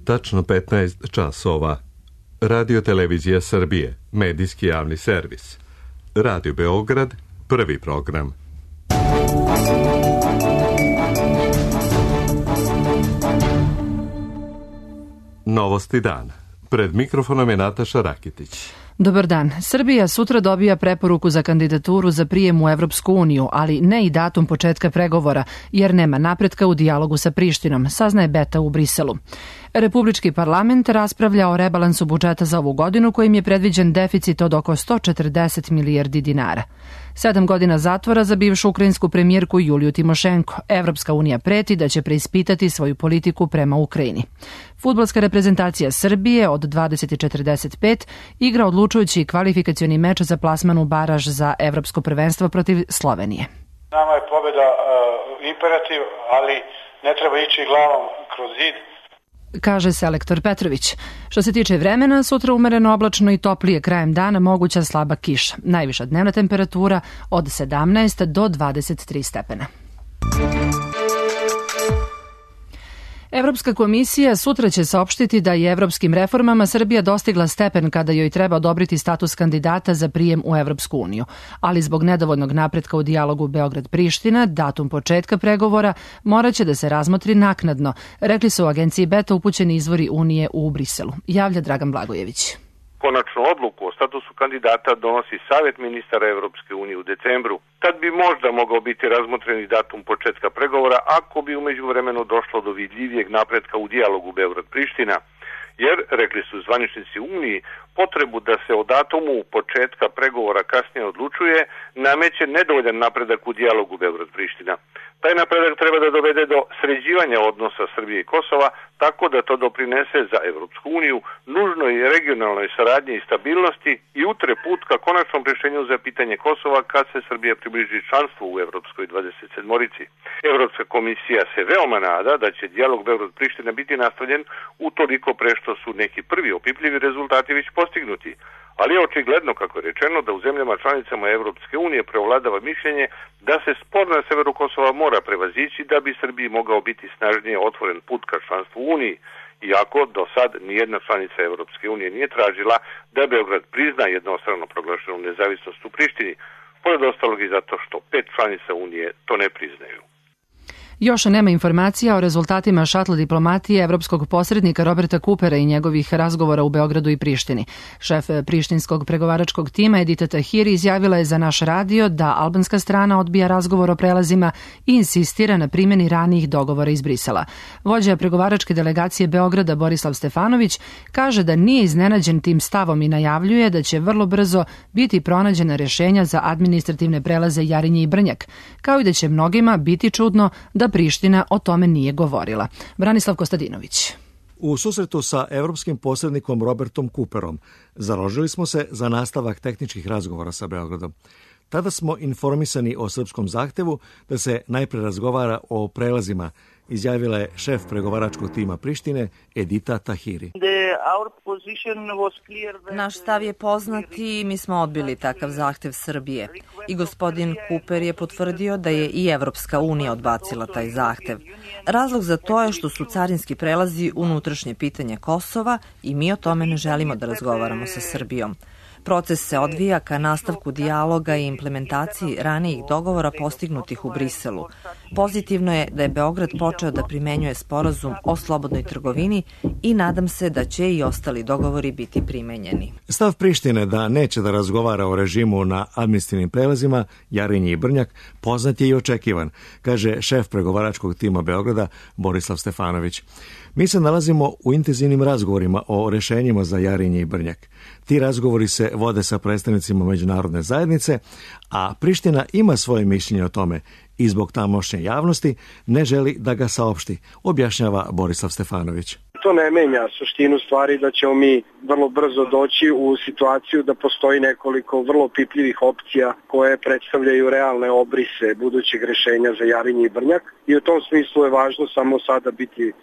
tačno 15 časova. Radio Televizija Srbije, medijski javni servis. Radio Beograd, prvi program. Novosti dana. Pred mikrofonom je Nataša Rakitić. Dobar dan. Srbija sutra dobija preporuku za kandidaturu za prijem u Evropsku uniju, ali ne i datum početka pregovora, jer nema napretka u dijalogu sa Prištinom, saznaje Beta u Briselu. Republički parlament raspravlja o rebalansu budžeta za ovu godinu kojim je predviđen deficit od oko 140 milijardi dinara. 7 godina zatvora za bivšu ukrajinsku premijerku Juliju Timošenko. Evropska unija preti da će preispitati svoju politiku prema Ukrajini. Fudbalska reprezentacija Srbije od 20:45 igra odlučujući kvalifikacioni meč za plasman u baraž za evropsko prvenstvo protiv Slovenije. Nama je pobjeda imperativ, ali ne treba ići glavom kroz zid, kaže selektor Petrović. Što se tiče vremena, sutra umereno oblačno i toplije, krajem dana moguća slaba kiša. Najviša dnevna temperatura od 17 do 23 stepena. Evropska komisija sutra će saopštiti da je evropskim reformama Srbija dostigla stepen kada joj treba odobriti status kandidata za prijem u Evropsku uniju. Ali zbog nedovoljnog napretka u dijalogu Beograd-Priština, datum početka pregovora morat će da se razmotri naknadno, rekli su u agenciji Beta upućeni izvori Unije u Briselu. Javlja Dragan Blagojević. Konačnu odluku o statusu kandidata donosi Savet ministara Evropske unije u decembru. Tad bi možda mogao biti razmotreni datum početka pregovora ako bi u međuvremenu došlo do vidljivijeg napretka u dijalogu Beograd-Priština. Jer, rekli su zvaničnici Uniji, potrebu da se o datumu početka pregovora kasnije odlučuje nameće nedovoljan napredak u dijalogu Beograd-Priština. Taj napredak treba da dovede do sređivanja odnosa Srbije i Kosova, tako da to doprinese za Evropsku uniju nužnoj regionalnoj saradnji i stabilnosti i utre put ka konačnom rješenju za pitanje Kosova kad se Srbija približi članstvu u Evropskoj 27-orici. Evropska komisija se veoma nada da će dijalog Beograd-Priština biti nastavljen utoliko pre što su neki prvi opipljivi rezultati već postignuti. Ali je očigledno, kako je rečeno, da u zemljama članicama Evropske unije prevladava mišljenje da se spor na severu Kosova mora prevazići da bi Srbiji mogao biti snažnije otvoren put ka članstvu u Uniji, iako do sad nijedna članica Evropske unije nije tražila da Beograd prizna jednostrano proglašenu nezavisnost u Prištini, pored ostalog i zato što 5 članica Unije to ne priznaju. Još nema informacija o rezultatima šatl diplomatije evropskog posrednika Roberta Coopera i njegovih razgovora u Beogradu i Prištini. Šef prištinskog pregovaračkog tima Edita Tahiri izjavila je za naš radio da albanska strana odbija razgovor o prelazima i insistira na primjeni ranijih dogovora iz Brisela. Vođa pregovaračke delegacije Beograda Borislav Stefanović kaže da nije iznenađen tim stavom i najavljuje da će vrlo brzo biti pronađena rješenja za administrativne prelaze Jarinje i Brnjak, kao i da će mnogima biti čudno da Priština o tome nije govorila. Branislav Kostadinović. U susretu sa evropskim posrednikom Robertom Cooperom založili smo se za nastavak tehničkih razgovora sa Beogradom. Tada smo informisani o srpskom zahtevu da se najpre razgovara o prelazima, izjavila je šef pregovaračkog tima Prištine Edita Tahiri. Naš stav je poznat i mi smo odbili takav zahtev Srbije. I gospodin Cooper je potvrdio da je i Evropska unija odbacila taj zahtev. Razlog za to je što su carinski prelazi unutrašnje pitanje Kosova i mi o tome ne želimo da razgovaramo sa Srbijom. Proces se odvija ka nastavku dijaloga i implementaciji ranijih dogovora postignutih u Briselu. Pozitivno je da je Beograd počeo da primenjuje sporazum o slobodnoj trgovini i nadam se da će i ostali dogovori biti primenjeni. Stav Prištine da neće da razgovara o režimu na administrativnim prelazima Jarinje i Brnjak poznat je i očekivan, kaže šef pregovaračkog tima Beograda Borislav Stefanović. Mi se nalazimo u intenzivnim razgovorima o rešenjima za Jarinje i Brnjak. Ti razgovori se vode sa predstavnicima međunarodne zajednice, a Priština ima svoje mišljenje o tome i zbog tamošnje javnosti ne želi da ga saopšti, objašnjava Borislav Stefanović. To ne menja suštinu stvari da ćemo mi vrlo brzo doći u situaciju da postoji nekoliko vrlo pipljivih opcija koje predstavljaju realne obrise budućeg rešenja za Jarinje i Brnjak i u tom smislu je važno samo sada biti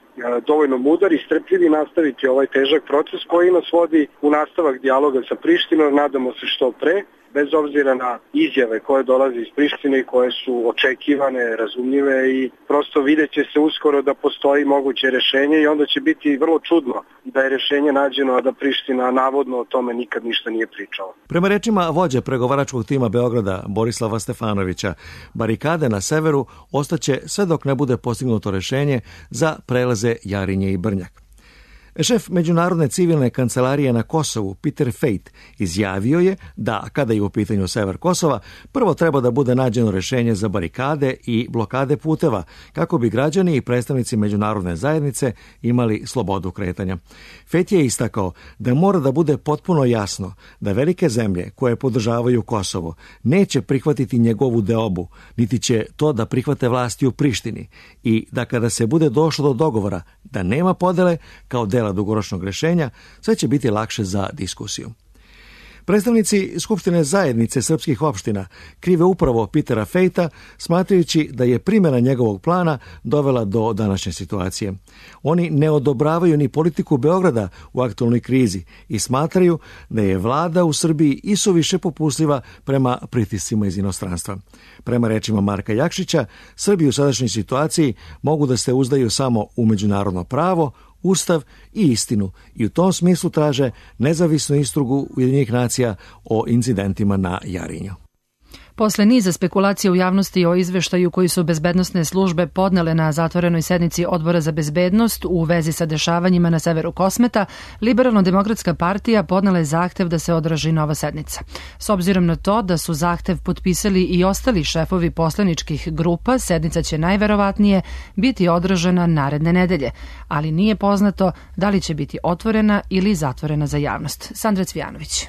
dovoljno mudar i strpljiv i nastaviti ovaj težak proces koji nas vodi u nastavak dijaloga sa Prištinom, nadamo se što pre, bez obzira na izjave koje dolaze iz Prištine i koje su očekivane, razumljive i prosto vidjet će se uskoro da postoji moguće rešenje i onda će biti vrlo čudno da je rešenje nađeno, a da Priština navodno o tome nikad ništa nije pričala. Prema rečima vođe pregovaračkog tima Beograda Borislava Stefanovića, barikade na severu ostaće sve dok ne bude postignuto rešenje za prelaze Jarinje i Brnjak. Šef Međunarodne civilne kancelarije na Kosovu, Peter Fejt, izjavio je da, kada je u pitanju sever Kosova, prvo treba da bude nađeno rešenje za barikade i blokade puteva, kako bi građani i predstavnici međunarodne zajednice imali slobodu kretanja. Fejt je istakao da mora da bude potpuno jasno da velike zemlje koje podržavaju Kosovo neće prihvatiti njegovu deobu, niti će to da prihvate vlasti u Prištini i da kada se bude došlo do dogovora da nema podele kao dela dugoročnog rešenja, sve će biti lakše za diskusiju. Predstavnici Skupštine zajednice srpskih opština krive upravo Petera Fejta, smatrajući da je primjena njegovog plana dovela do današnje situacije. Oni ne odobravaju ni politiku Beograda u aktualnoj krizi i smatraju da je vlada u Srbiji isuviše popustljiva prema pritiscima iz inostranstva. Prema rečima Marka Jakšića, Srbi u sadašnjoj situaciji mogu da se uzdaju samo u međunarodno pravo, Ustav i istinu i u tom smislu traže nezavisnu istragu Ujedinjenih nacija o incidentima na Jarinju. Posle niza spekulacija u javnosti o izveštaju koji su bezbednosne službe podnele na zatvorenoj sednici Odbora za bezbednost u vezi sa dešavanjima na severu Kosmeta, Liberalno-demokratska partija podnela je zahtev da se održi nova sednica. S obzirom na to da su zahtev potpisali i ostali šefovi poslaničkih grupa, sednica će najverovatnije biti održana naredne nedelje, ali nije poznato da li će biti otvorena ili zatvorena za javnost. Sandra Cvijanović.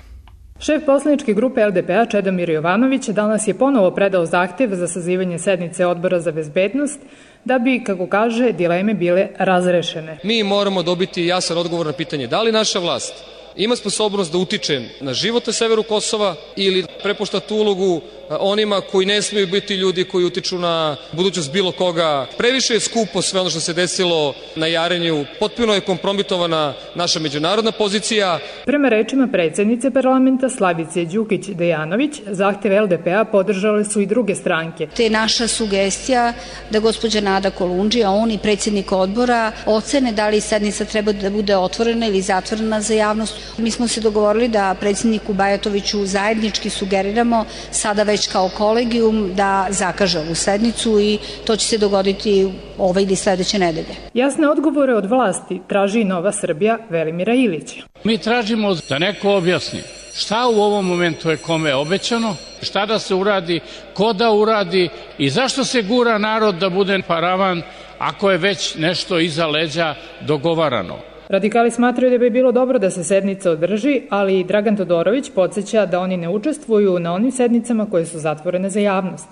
Šef poslaničke grupe LDP-a Čedomir Jovanović danas je ponovo predao zahtev za sazivanje sednice Odbora za bezbednost da bi, kako kaže, dileme bile razrešene. Mi moramo dobiti jasan odgovor na pitanje da li naša vlast ima sposobnost da utiče na život na severu Kosova ili prepušta tu ulogu onima koji ne smiju biti ljudi koji utiču na budućnost bilo koga. Previše je skupo sve ono što se desilo na Jarinju, potpuno je kompromitovana naša međunarodna pozicija. Prema rečima predsjednice parlamenta Slavice Đukić-Dejanović, zahtev LDP-a podržale su i druge stranke. Te naša sugestija da gospođa Nada Kolundžija, on i predsjednik odbora ocene da li sednica treba da bude otvorena ili zatvorena za javnost. Mi smo se dogovorili da predsjedniku Bajatoviću zajednički sugeriramo sada već kao kolegijum da zakaže ovu sednicu i to će se dogoditi ove ili sledeće nedelje. Jasne odgovore od vlasti traži Nova Srbija Velimira Ilića. Mi tražimo da neko objasni šta u ovom momentu je kome obećano, šta da se uradi, ko da uradi i zašto se gura narod da bude paravan ako je već nešto iza leđa dogovarano. Radikali smatraju da bi bilo dobro da se sednica održi, ali i Dragan Todorović podsjeća da oni ne učestvuju na onim sednicama koje su zatvorene za javnost.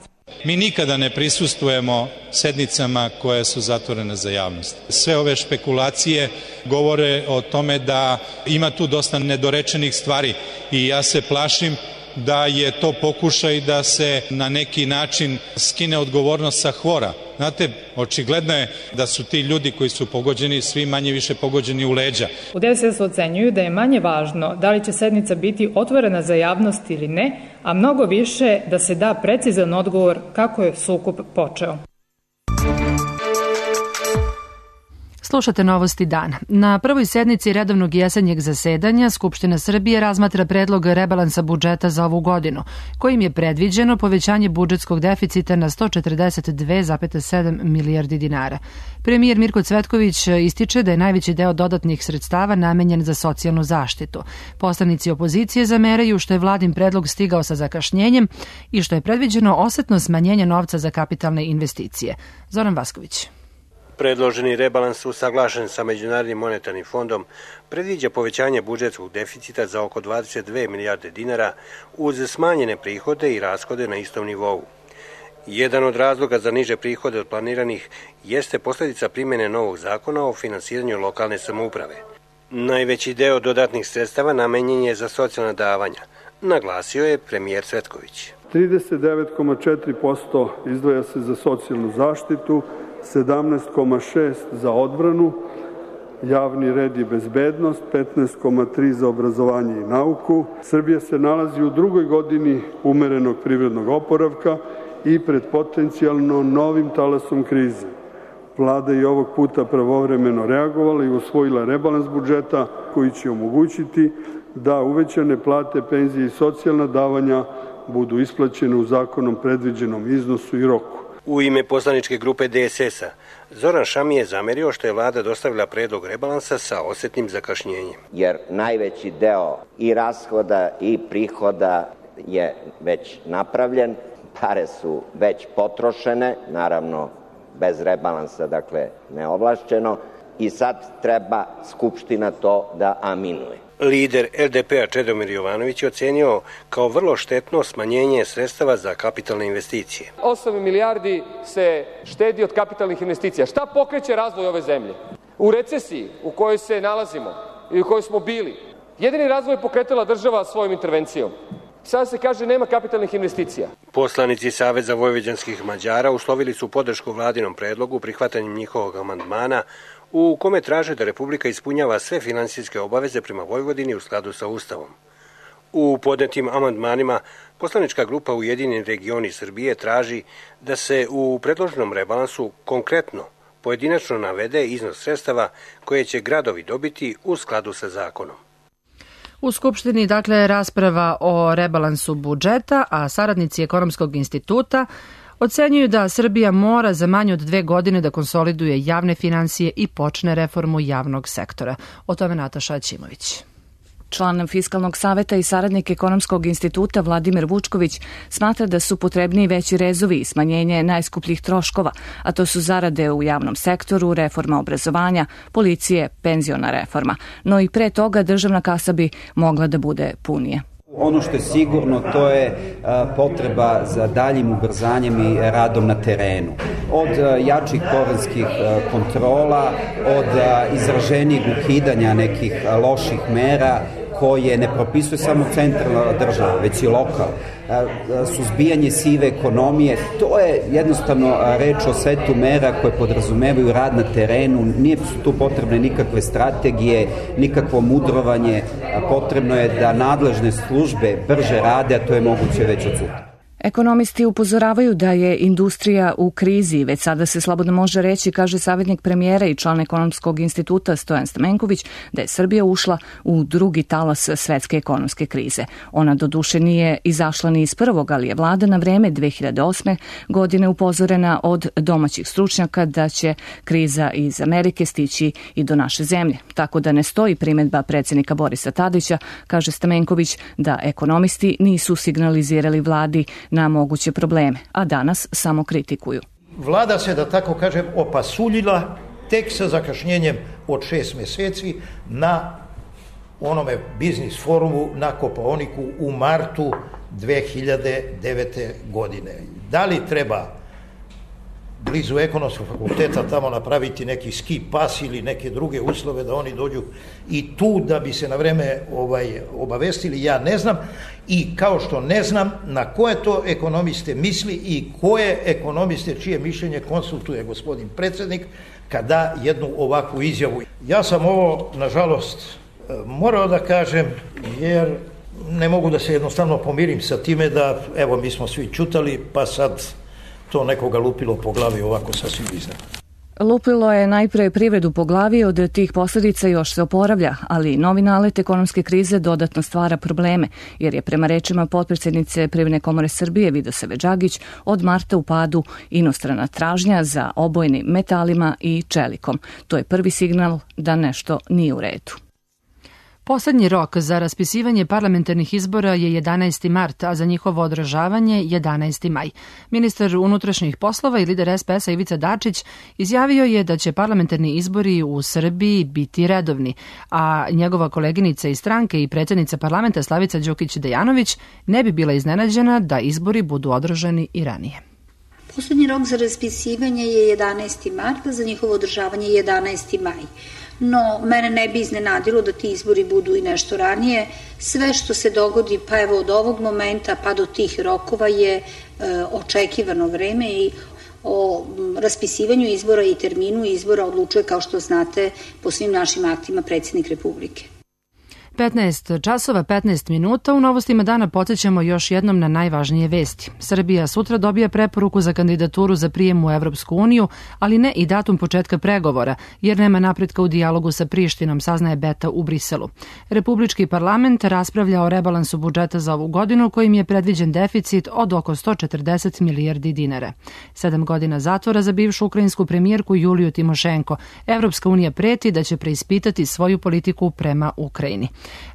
Mi nikada ne prisustvujemo sednicama koje su zatvorene za javnost. Sve ove špekulacije govore o tome da ima tu dosta nedorečenih stvari i ja se plašim da je to pokušaj da se na neki način skine odgovornost sa hvora. Znate, očigledno je da su ti ljudi koji su pogođeni svi manje više pogođeni u leđa. U DSS ocenjuju da je manje važno da li će sednica biti otvorena za javnost ili ne, a mnogo više da se da precizan odgovor kako je sukob počeo. Slušate novosti dana. Na prvoj sednici redovnog jesenjeg zasedanja Skupština Srbije razmatra predlog rebalansa budžeta za ovu godinu, kojim je predviđeno povećanje budžetskog deficita na 142,7 milijardi dinara. Premijer Mirko Cvetković ističe da je najveći deo dodatnih sredstava namenjen za socijalnu zaštitu. Poslanici opozicije zameraju što je vladin predlog stigao sa zakašnjenjem i što je predviđeno osetno smanjenje novca za kapitalne investicije. Zoran Vasković. Predloženi rebalans usaglašen sa Međunarodnim monetarnim fondom predviđa povećanje budžetskog deficita za oko 22 milijarde dinara uz smanjene prihode i rashode na istom nivou. Jedan od razloga za niže prihode od planiranih jeste posljedica primjene novog zakona o finansiranju lokalne samouprave. Najveći deo dodatnih sredstava namenjen je za socijalna davanja, naglasio je premijer Cvetković. 39,4% izdvaja se za socijalnu zaštitu, 17,6% za odbranu, javni red i bezbednost, 15,3 za obrazovanje i nauku. Srbija se nalazi u drugoj godini umerenog privrednog oporavka i pred potencijalno novim talasom krize. Vlada je ovog puta pravovremeno reagovala i usvojila rebalans budžeta koji će omogućiti da uvećane plate, penzije i socijalna davanja budu isplaćene u zakonom predviđenom iznosu i roku. U ime poslaničke grupe DSS-a, Zoran Šami je zamerio što je vlada dostavila predlog rebalansa sa osetnim zakašnjenjem. Jer najveći deo i rashoda i prihoda je već napravljen, pare su već potrošene, naravno bez rebalansa, dakle neovlašćeno, i sad treba Skupština to da aminuje. Lider LDP-a Čedomir Jovanović je ocenio kao vrlo štetno smanjenje sredstava za kapitalne investicije. 8 milijardi se štedi od kapitalnih investicija. Šta pokreće razvoj ove zemlje? U recesiji u kojoj se nalazimo i u kojoj smo bili, jedini razvoj je pokretala država svojom intervencijom. Sada se kaže nema kapitalnih investicija. Poslanici Saveza vojvođanskih Mađara uslovili su podršku vladinom predlogu prihvatanjem njihovog amandmana u kome traže da Republika ispunjava sve finansijske obaveze prema Vojvodini u skladu sa Ustavom. U podnetim amandmanima poslanička grupa Ujedinjeni regioni Srbije traži da se u predloženom rebalansu konkretno pojedinačno navede iznos sredstava koje će gradovi dobiti u skladu sa zakonom. U Skupštini, dakle, rasprava o rebalansu budžeta, a saradnici Ekonomskog instituta ocenjuju da Srbija mora za manje od 2 godine da konsoliduje javne finansije i počne reformu javnog sektora. O tome Nataša Ćimović. Član Fiskalnog saveta i saradnik Ekonomskog instituta Vladimir Vučković smatra da su potrebniji veći rezovi i smanjenje najskupljih troškova, a to su zarade u javnom sektoru, reforma obrazovanja, policije, penziona reforma. No i pre toga državna kasa bi mogla da bude punije. Ono što je sigurno, to je potreba za daljim ubrzanjem i radom na terenu. Od jačih porenskih kontrola, od izraženijeg ukidanja nekih loših mera koje ne propisuje samo centralna država, već i lokal, suzbijanje sive ekonomije, to je jednostavno reč o setu mera koje podrazumevaju rad na terenu, nije su tu potrebne nikakve strategije, nikakvo mudrovanje, potrebno je da nadležne službe brže rade, a to je moguće već od sutra. Ekonomisti upozoravaju da je industrija u krizi, već sada se slobodno može reći, kaže savjetnik premijera i član Ekonomskog instituta Stojan Stamenković, da je Srbija ušla u drugi talas svetske ekonomske krize. Ona doduše nije izašla ni iz prvog, ali je vlada na vreme 2008. godine upozorena od domaćih stručnjaka da će kriza iz Amerike stići i do naše zemlje. Tako da ne stoji primedba predsjednika Borisa Tadića, kaže Stamenković, da ekonomisti nisu signalizirali vladi na moguće probleme, a danas samo kritikuju. Vlada se, da tako kažem, opasuljila tek sa zakašnjenjem od 6 meseci na onome biznis forumu na Kopaoniku u martu 2009. godine. Da li treba blizu ekonomskog fakulteta tamo napraviti neki ski pas ili neke druge uslove da oni dođu i tu da bi se na vreme obavestili, ja ne znam, i kao što ne znam na koje to ekonomiste misli i koje ekonomiste čije mišljenje konsultuje gospodin predsjednik kad da jednu ovakvu izjavu. Ja sam ovo, nažalost, morao da kažem, jer ne mogu da se jednostavno pomirim sa time da, evo, mi smo svi čutali, pa sad to nekoga lupilo po glavi ovako sasvim iznad. Lupilo je najpre privredu po glavi, od tih posljedica još se oporavlja, ali novi nalet ekonomske krize dodatno stvara probleme, jer je prema rečima potpredsjednice Privredne komore Srbije Vidosave Đagić od marta u padu inostrana tražnja za obojnim metalima i čelikom. To je prvi signal da nešto nije u redu. Poslednji rok za raspisivanje parlamentarnih izbora je 11. mart, a za njihovo održavanje 11. maj. Ministar unutrašnjih poslova i lider SPS-a Ivica Dačić izjavio je da će parlamentarni izbori u Srbiji biti redovni, a njegova koleginica iz stranke i predsjednica parlamenta Slavica Đukić-Dejanović ne bi bila iznenađena da izbori budu održani i ranije. Poslednji rok za raspisivanje je 11. mart, a za njihovo održavanje 11. maj. No, mene ne bi iznenadilo da ti izbori budu i nešto ranije. Sve što se dogodi, pa evo od ovog momenta pa do tih rokova je očekivano vreme i o raspisivanju izbora i terminu izbora odlučuje, kao što znate, po svim našim aktima predsjednik Republike. 15 časova 15 minuta. U novostima dana podsjećamo još jednom na najvažnije vesti. Srbija sutra dobija preporuku za kandidaturu za prijem u Evropsku uniju, ali ne i datum početka pregovora, jer nema napretka u dijalogu sa Prištinom, saznaje Beta u Briselu. Republički parlament raspravlja o rebalansu budžeta za ovu godinu, kojim je predviđen deficit od oko 140 milijardi dinara. 7 godina zatvora za bivšu ukrajinsku premijerku Juliju Timošenko. Evropska unija preti da će preispitati svoju politiku prema Ukrajini.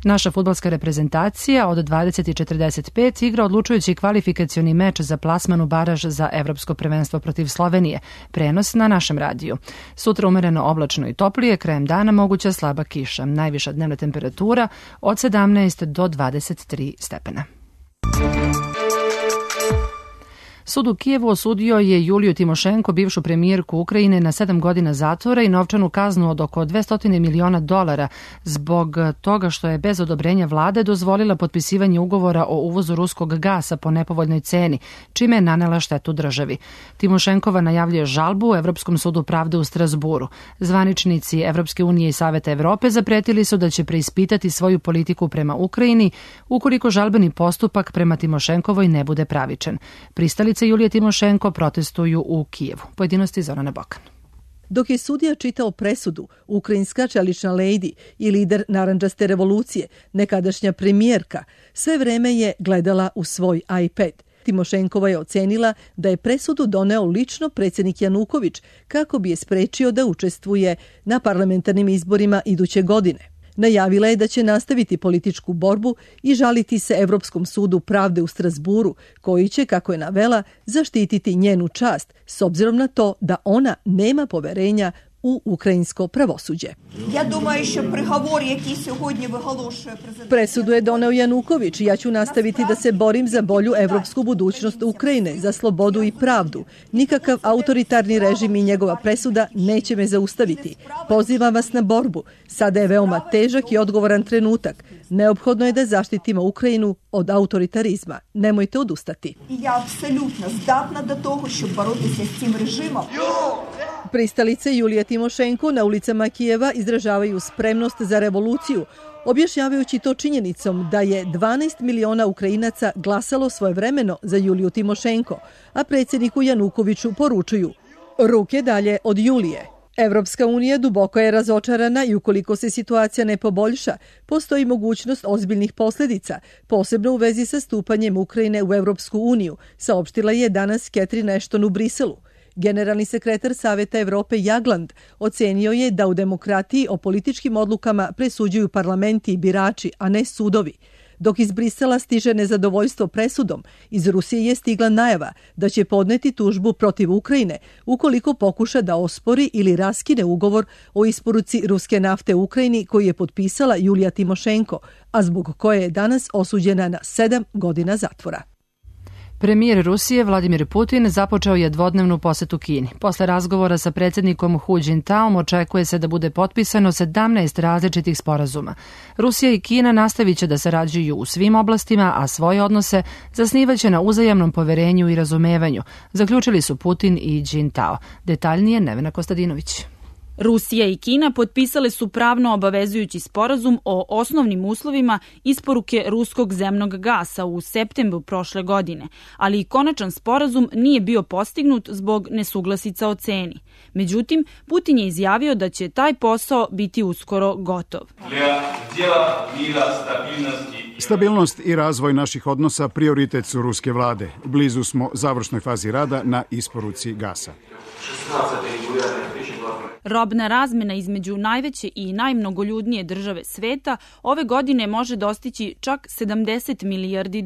Naša fudbalska reprezentacija od 20:45 igra odlučujući kvalifikacioni meč za plasman u baraž za Evropsko prvenstvo protiv Slovenije. Prenos na našem radiju. Sutra umereno oblačno i toplije, krajem dana moguća slaba kiša. Najviša dnevna temperatura od 17 do 23 stepena. Sud u Kijevu osudio je Juliju Timošenko, bivšu premijerku Ukrajine, na 7 godina zatvora i novčanu kaznu od oko $200 miliona zbog toga što je bez odobrenja vlade dozvolila potpisivanje ugovora o uvozu ruskog gasa po nepovoljnoj ceni, čime je nanela štetu državi. Timošenkova najavljuje žalbu u Evropskom sudu pravde u Strasburu. Zvaničnici Evropske unije i Saveta Evrope zapretili su da će preispitati svoju politiku prema Ukrajini ukoliko žalbeni postupak prema Timošenkovoj ne bude pravičan. Pristalice Julije Timošenko protestuju u Kijevu. Pojedinosti Zorana Bokan. Dok je sudija čitao presudu, ukrajinska čelična lejdi i lider narandžaste revolucije, nekadašnja premijerka, sve vreme je gledala u svoj iPad. Timošenkova je ocenila da je presudu doneo lično predsjednik Januković kako bi je sprečio da učestvuje na parlamentarnim izborima iduće godine. Najavila je da će nastaviti političku borbu i žaliti se Evropskom sudu pravde u Strasburu, koji će, kako je navela, zaštititi njenu čast, s obzirom na to da ona nema poverenja u ukrajinsko pravosuđe. Presudu je doneo Januković i ja ću nastaviti da se borim za bolju evropsku budućnost Ukrajine, za slobodu i pravdu. Nikakav autoritarni režim i njegova presuda neće me zaustaviti. Pozivam vas na borbu. Sada je veoma težak i odgovoran trenutak. Neophodno je da zaštitimo Ukrajinu od autoritarizma. Nemojte odustati. Ja apsolutno zdatna do toga što boriti se s tim režimom. Pristalice Julije Timošenko na ulicama Kijeva izražavaju spremnost za revoluciju, objašnjavajući to činjenicom da je 12 miliona Ukrajinaca glasalo svojevremeno za Juliju Timošenko, a predsjedniku Janukoviću poručuju: ruke dalje od Julije. Evropska unija duboko je razočarana i ukoliko se situacija ne poboljša, postoji mogućnost ozbiljnih posljedica, posebno u vezi sa stupanjem Ukrajine u Evropsku uniju, saopštila je danas Catherine Ashton u Briselu. Generalni sekretar Saveta Evrope Jagland ocenio je da u demokratiji o političkim odlukama presuđuju parlamenti i birači, a ne sudovi. Dok iz Brisela stiže nezadovoljstvo presudom, iz Rusije je stigla najava da će podneti tužbu protiv Ukrajine ukoliko pokuša da ospori ili raskine ugovor o isporuci ruske nafte u Ukrajini koji je potpisala Julija Timošenko, a zbog koje je danas osuđena na 7 godina zatvora. Premijer Rusije Vladimir Putin započeo je dvodnevnu posetu Kini. Posle razgovora sa predsjednikom Hu Jintaom očekuje se da bude potpisano 17 različitih sporazuma. Rusija i Kina nastavit će da sarađuju u svim oblastima, a svoje odnose zasnivaće na uzajamnom poverenju i razumevanju, zaključili su Putin i Jintao. Detaljnije Nevena Kostadinović. Rusija i Kina potpisale su pravno obavezujući sporazum o osnovnim uslovima isporuke ruskog zemnog gasa u septembru prošle godine, ali i konačan sporazum nije bio postignut zbog nesuglasica o ceni. Međutim, Putin je izjavio da će taj posao biti uskoro gotov. Stabilnost i razvoj naših odnosa prioritet su ruske vlade. Blizu smo završnoj fazi rada na isporuci gasa. Robna razmena između najveće i najmnogoljudnije države sveta ove godine može dostići čak $70 milijardi,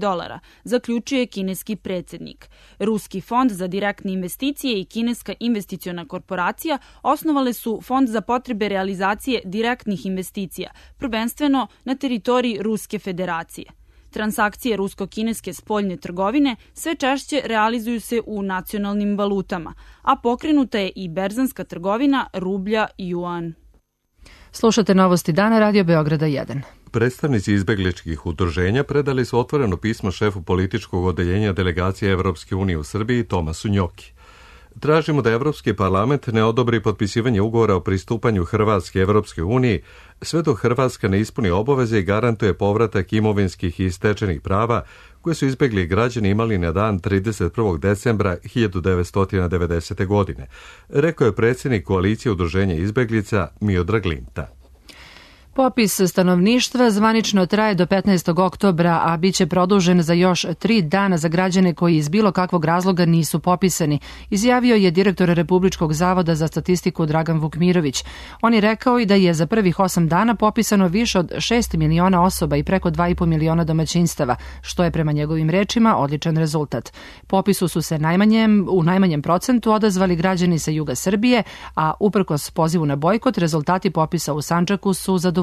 zaključuje kineski predsjednik. Ruski fond za direktne investicije i kineska investiciona korporacija osnovale su fond za potrebe realizacije direktnih investicija, prvenstveno na teritoriji Ruske federacije. Transakcije rusko-kineske spoljne trgovine sve češće realizuju se u nacionalnim valutama, a pokrenuta je i berzanska trgovina rublja i juan. Slušate novosti dana Radio Beograda 1. Predstavnici izbegličkih udruženja predali su otvoreno pismo šefu političkog odeljenja delegacije Evropske unije u Srbiji Tomasu Njoki. Tražimo da Evropski parlament ne odobri potpisivanje ugovora o pristupanju Hrvatske Evropske uniji sve dok Hrvatska ne ispuni obaveze i garantuje povratak imovinskih i stečenih prava koje su izbegli građani imali na dan 31. decembra 1990. godine, rekao je predsjednik koalicije udruženja izbeglica Miodrag Linta. Popis stanovništva zvanično traje do 15. oktobra, a bit će produžen za još 3 dana za građane koji iz bilo kakvog razloga nisu popisani, izjavio je direktor Republičkog zavoda za statistiku Dragan Vukmirović. On je rekao i da je za prvih 8 dana popisano više od 6 miliona osoba i preko 2,5 miliona domaćinstava, što je prema njegovim rečima odličan rezultat. Popisu su se u najmanjem procentu odazvali građani sa juga Srbije, a uprkos pozivu na bojkot, rezultati popisa u Sandžaku su zadovoljavajući.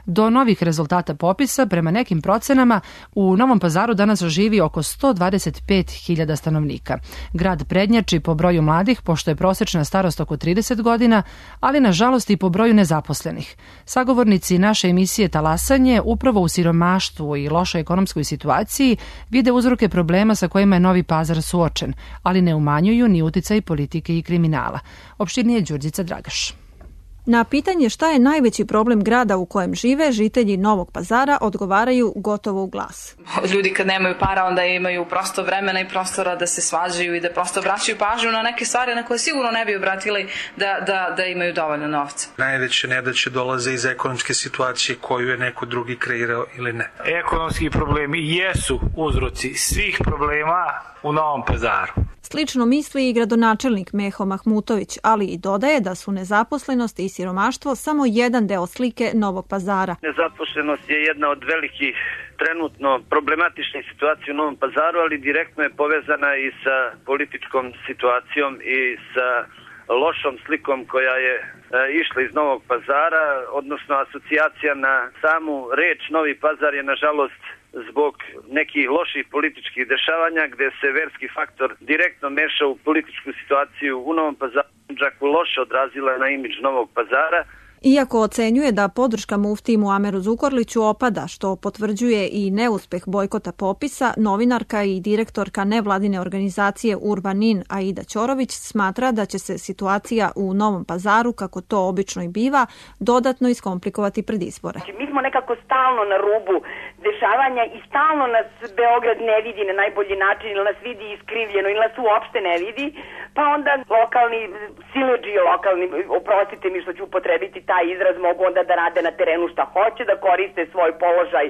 Do novih rezultata popisa, prema nekim procenama, u Novom Pazaru danas živi oko 125.000 stanovnika. Grad prednjači po broju mladih, pošto je prosečna starost oko 30 godina, ali nažalost i po broju nezaposlenih. Sagovornici naše emisije Talasanje upravo u siromaštvu i lošoj ekonomskoj situaciji vide uzroke problema sa kojima je Novi Pazar suočen, ali ne umanjuju ni uticaj politike i kriminala. Opširnije Đurđica Dragaš. Na pitanje šta je najveći problem grada u kojem žive, žitelji Novog Pazara odgovaraju gotovo u glas. Ljudi kad nemaju para, onda imaju prosto vremena i prostora da se svađaju i da prosto vraćaju pažnju na neke stvari na koje sigurno ne bi obratili da imaju dovoljno novca. Najveće nedaće dolaze iz ekonomske situacije koju je neko drugi kreirao ili ne. Ekonomski problemi jesu uzroci svih problema u Novom Pazaru. Slično misli i gradonačelnik Meho Mahmutović, ali i dodaje da su nezaposlenost i siromaštvo samo jedan deo slike Novog Pazara. Nezaposlenost je jedna od velikih trenutno problematičnih situacija u Novom Pazaru, ali direktno je povezana i sa političkom situacijom i sa lošom slikom koja je išla iz Novog Pazara, odnosno asocijacija na samu reč Novi Pazar je nažalost zbog nekih loših političkih dešavanja gde se verski faktor direktno meša u političku situaciju u Novom Pazaru loše odrazila na imidž Novog Pazara. Iako ocenjuje da podrška muftiji Muameru Zukorliću opada, što potvrđuje i neuspeh bojkota popisa, novinarka i direktorka nevladine organizacije Urbanin Aida Ćorović smatra da će se situacija u Novom Pazaru, kako to obično i biva, dodatno iskomplikovati pred izbore. Mi smo nekako stalno na rubu dešavanja i stalno nas Beograd ne vidi na najbolji način ili nas vidi iskrivljeno ili nas uopšte ne vidi, pa onda lokalni siledžije, oprostite mi što ću upotrebiti taj izraz, mogu onda da rade na terenu šta hoće, da koriste svoj položaj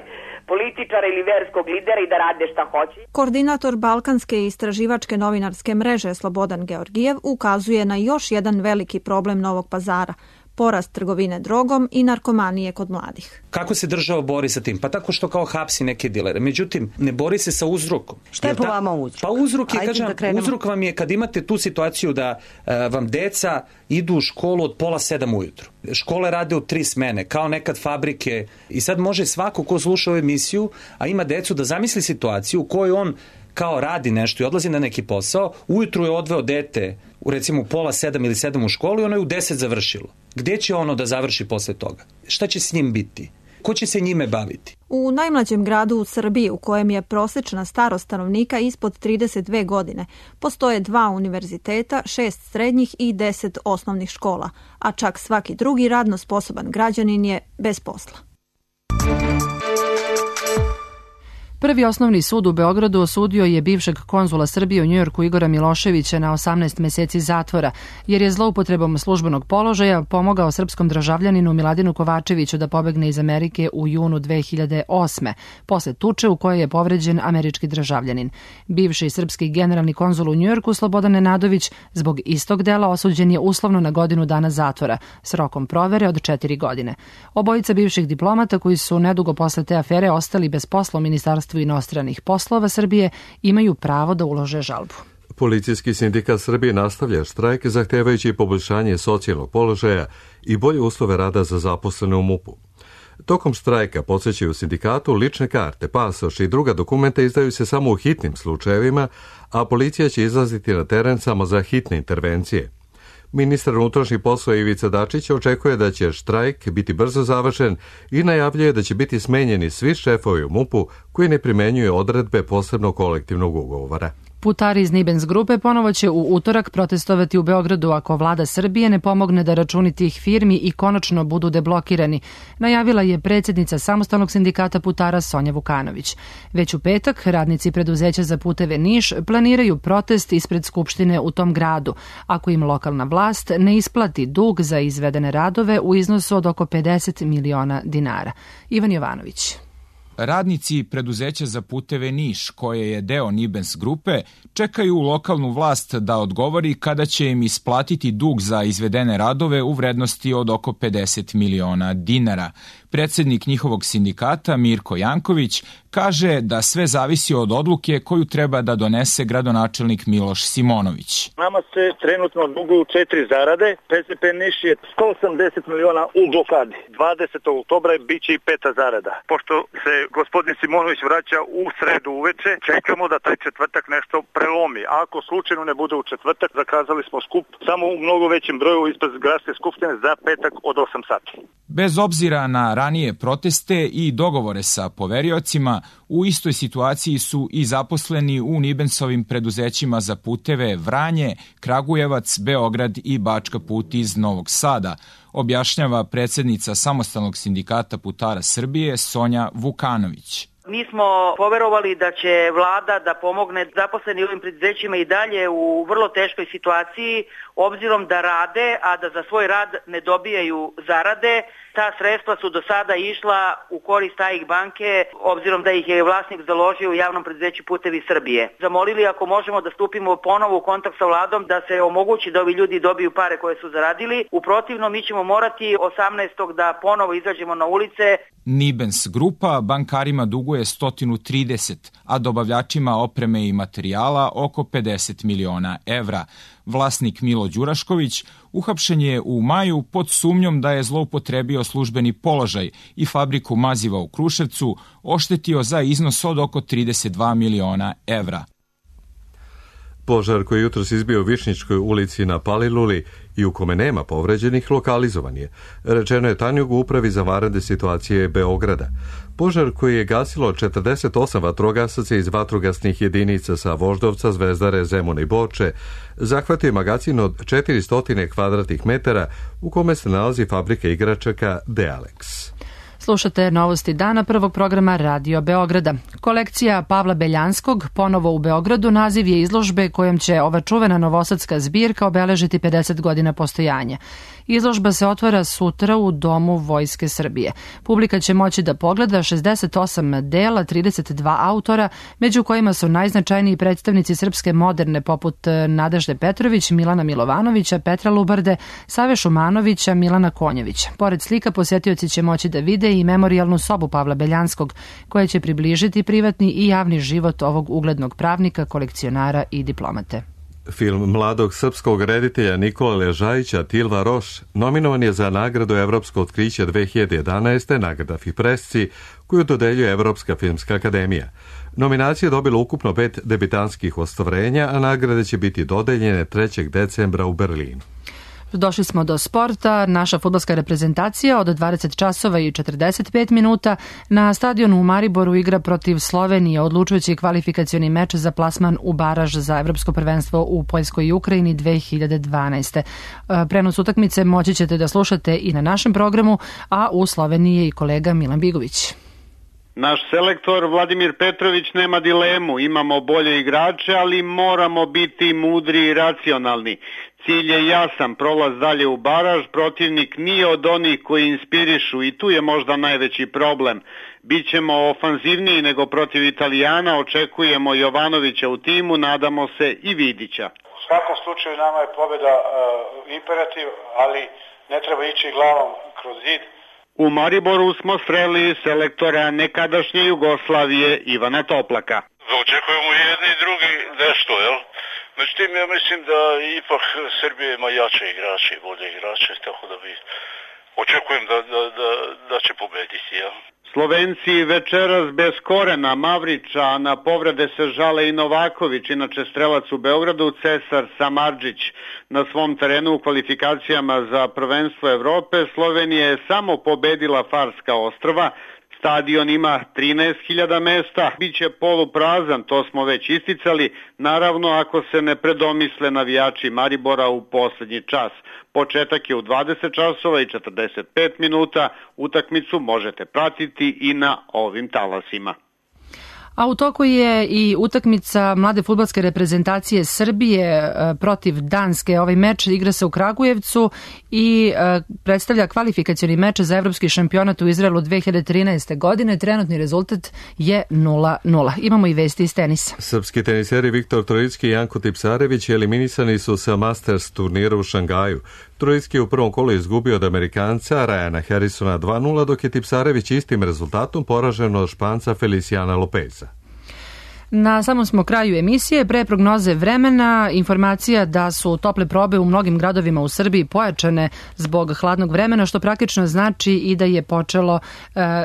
političara ili verskog lidera i da rade šta hoće. Koordinator Balkanske istraživačke novinarske mreže Slobodan Georgijev ukazuje na još jedan veliki problem Novog Pazara – porast trgovine drogom i narkomanije kod mladih. Kako se država bori sa tim? Pa tako što kao hapsi neke dilere. Međutim, ne bori se sa uzrokom. Šta je po vama uzrok? Pa uzrok vam je kad imate tu situaciju da vam deca idu u školu od 6:30 ujutru. Škole rade u 3 smene, kao nekad fabrike. I sad može svako ko sluša ovu emisiju, a ima decu, da zamisli situaciju u kojoj on kao radi nešto i odlazi na neki posao, ujutru je odveo dete recimo u 6:30 ili 7 u školu i ono je u 10 završilo. Gde će ono da završi posle toga? Šta će s njim biti? Ko će se njime baviti? U najmlađem gradu u Srbiji, u kojem je prosečna starost stanovnika ispod 32 godine, postoje 2 univerziteta, 6 srednjih i 10 osnovnih škola, a čak svaki drugi radno sposoban građanin je bez posla. Prvi osnovni sud u Beogradu osudio je bivšeg konzula Srbije u Njujorku Igora Miloševića na 18 meseci zatvora, jer je zloupotrebom službenog položaja pomogao srpskom državljaninu Miladinu Kovačeviću da pobegne iz Amerike u junu 2008. posle tuče u kojoj je povređen američki državljanin. Bivši srpski generalni konzul u Njujorku Slobodan Nenadović zbog istog dela osuđen je uslovno na godinu dana zatvora s rokom provere od 4 godine. Obojica bivših diplomata koji su nedugo posle te afere ostali bez posla u Ministarstvu inostranih poslova Srbije imaju pravo da ulože žalbu. Policijski sindikat Srbije nastavlja štrajk zahtevajući poboljšanje socijalnog položaja i bolje uslove rada za zaposlene u MUP-u. Tokom štrajka, podsjećaju sindikatu, lične karte, pasoš i druga dokumenta izdaju se samo u hitnim slučajevima, a policija će izlaziti na teren samo za hitne intervencije. Ministar unutrašnjih poslova Ivica Dačić očekuje da će štrajk biti brzo završen i najavljuje da će biti smenjeni svi šefovi u MUP-u koji ne primenjuju odredbe posebnog kolektivnog ugovora. Putari iz Nibens grupe ponovo će u utorak protestovati u Beogradu ako vlada Srbije ne pomogne da računi tih firmi i konačno budu deblokirani, najavila je predsjednica Samostalnog sindikata putara Sonja Vukanović. Već u petak radnici preduzeća za puteve Niš planiraju protest ispred Skupštine u tom gradu, ako im lokalna vlast ne isplati dug za izvedene radove u iznosu od oko 50 miliona dinara. Ivan Jovanović. Radnici preduzeća za puteve Niš, koje je deo Nibens grupe, čekaju lokalnu vlast da odgovori kada će im isplatiti dug za izvedene radove u vrednosti od oko 50 miliona dinara. Predsjednik njihovog sindikata Mirko Janković kaže da sve zavisi od odluke koju treba da donese gradonačelnik Miloš Simonović. Nama se trenutno duguju 4 zarade. PZP Niš je 180 miliona u blokadi. 20. oktobra biće i 5. zarada. Pošto se gospodin Simonović vraća u sredu uveče, čekamo da taj četvrtak nešto prelomi. Ako slučajno ne bude u četvrtak, zakazali smo skup samo u mnogo većem broju ispred gradske skupštine za petak od 8 sati. Bez obzira na ranije proteste i dogovore sa poveriocima, u istoj situaciji su i zaposleni u Nibensovim preduzećima za puteve Vranje, Kragujevac, Beograd i Bačka Put iz Novog Sada, objašnjava predsjednica Samostalnog sindikata putara Srbije Sonja Vukanović. Mi smo poverovali da će vlada da pomogne zaposleni ovim preduzećima i dalje u vrlo teškoj situaciji, obzirom da rade, a da za svoj rad ne dobijaju zarade. Ta sredstva su do sada išla u korist AIK banke, obzirom da ih je vlasnik založio u javnom preduzeću Putevi Srbije. Zamolili ako možemo da stupimo ponovo u kontakt sa vladom da se omogući da ovi ljudi dobiju pare koje su zaradili. U protivnom mi ćemo morati 18. da ponovo izađemo na ulice. Nibens grupa bankarima duguje 130, a dobavljačima opreme i materijala oko 50 miliona evra. Vlasnik Milo Đurašković uhapšen je u maju pod sumnjom da je zloupotrebio službeni položaj i fabriku maziva u Kruševcu oštetio za iznos od oko 32 miliona evra. Požar koji jutros izbio u Višnjičkoj ulici na Paliluli i u kome nema povređenih, lokalizovan je. Rečeno je Tanjugu upravi za vanredne situacije Beograda. Požar koji je gasilo 48 vatrogasaca iz vatrogasnih jedinica sa Voždovca, Zvezdare, Zemuna i Borče, zahvatio je magacin od 400 kvadratnih metara u kome se nalazi fabrika igračaka Dealex. Slušate novosti dana prvog programa Radio Beograda. Kolekcija Pavla Beljanskog ponovo u Beogradu naziv je izložbe kojom će ova čuvena novosadska zbirka obeležiti 50 godina postojanja. Izložba se otvara sutra u Domu Vojske Srbije. Publika će moći da pogleda 68 dela, 32 autora, među kojima su najznačajniji predstavnici srpske moderne poput Nadežde Petrović, Milana Milovanovića, Petra Lubarde, Save Šumanovića, Milana Konjevića. Pored slika posjetioci će moći da vide i memorijalnu sobu Pavla Beljanskog, koja će približiti privatni i javni život ovog uglednog pravnika, kolekcionara i diplomate. Film mladog srpskog reditelja Nikola Ležajića Tilva Roš nominovan je za nagradu Evropsko otkriće 2011. nagrada FIPRESCI koju dodeljuje Evropska filmska akademija. Nominacija je dobila ukupno 5 debitanskih ostvarenja, a nagrade će biti dodeljene 3. decembra u Berlinu. Došli smo do sporta. Naša fudbalska reprezentacija od 20 časova i 45 minuta na stadionu u Mariboru igra protiv Slovenije, odlučujući kvalifikacioni meč za plasman u baraž za evropsko prvenstvo u Poljskoj i Ukrajini 2012. Prenos utakmice moći ćete da slušate i na našem programu, a u Sloveniji je i kolega Milan Bigović. Naš selektor Vladimir Petrović nema dilemu, imamo bolje igrače, ali moramo biti mudri i racionalni. Cilj je jasan, prolaz dalje u baraž, protivnik nije od onih koji inspirišu i tu je možda najveći problem. Bićemo ofanzivniji nego protiv Italijana, očekujemo Jovanovića u timu, nadamo se i Vidića. U svakom slučaju nama je pobjeda imperativ, ali ne treba ići glavom kroz zid. U Mariboru smo sreli selektora nekadašnje Jugoslavije Ivana Toplaka. Očekujemo jedni i drugi nešto, jel? Međutim, ja mislim da ipak Srbija ima jače igrače i bolje igrače, tako da bi očekujem da će pobediti, jel? Slovenci večeras bez Korena, Mavrića, a na povrede se žale i Novaković, inače strelac u Beogradu, Cesar Samardžić. Na svom terenu u kvalifikacijama za prvenstvo Evrope Slovenija je samo pobedila Farska ostrva s Stadion ima 13.000 mesta, bit će poluprazan, to smo već isticali, naravno ako se ne predomisle navijači Maribora u poslednji čas. Početak je u 20 časova i 45 minuta, utakmicu možete pratiti i na ovim talasima. A u toku je i utakmica mlade fudbalske reprezentacije Srbije protiv Danske. Ovaj meč igra se u Kragujevcu i predstavlja kvalifikacioni meč za evropski šampionat u Izraelu 2013. godine. Trenutni rezultat je 0-0. Imamo i vesti iz tenisa. Srpski teniseri Viktor Trojicki i Janko Tipsarević eliminisani su sa Masters turnira u Šangaju. Trojicki je u prvom kolu izgubio od Amerikanca Ryana Harrisona 2-0, dok je Tipsarević istim rezultatom poražen od Španca Feliciana Lopeza. Na samom smo kraju emisije. Pre prognoze vremena, informacija da su tople probe u mnogim gradovima u Srbiji pojačane zbog hladnog vremena, što praktično znači i da je počelo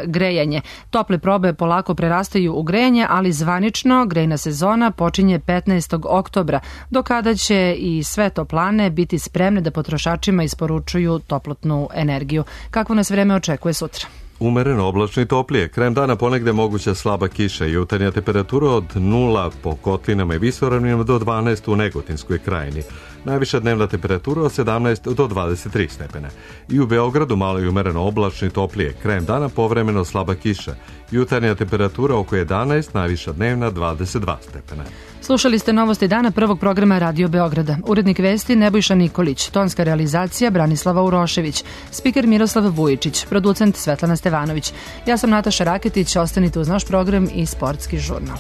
grejanje. Tople probe polako prerastaju u grejanje, ali zvanično grejna sezona počinje 15. oktobra, do kada će i sve toplane biti spremne da potrošačima isporučuju toplotnu energiju. Kakvo nas vreme očekuje sutra? Umereno oblačno i toplije. Krajem dana ponegde moguća slaba kiša i jutarnja temperatura od 0 po kotlinama i visoravninama do 12 u Negotinskoj krajini. Najviša dnevna temperatura od 17 do 23 stepena. I u Beogradu malo i umereno oblačno i toplije. Krajem dana povremeno slaba kiša. Jutarnja temperatura oko 11, najviša dnevna 22 stepena. Slušali ste novosti dana prvog programa Radio Beograda. Urednik vesti Nebojša Nikolić, tonska realizacija Branislava Urošević, spiker Miroslav Vujičić, producent Svetlana Stevanović. Ja sam Nataša Raketić, ostanite uz naš program i Sportski žurnal.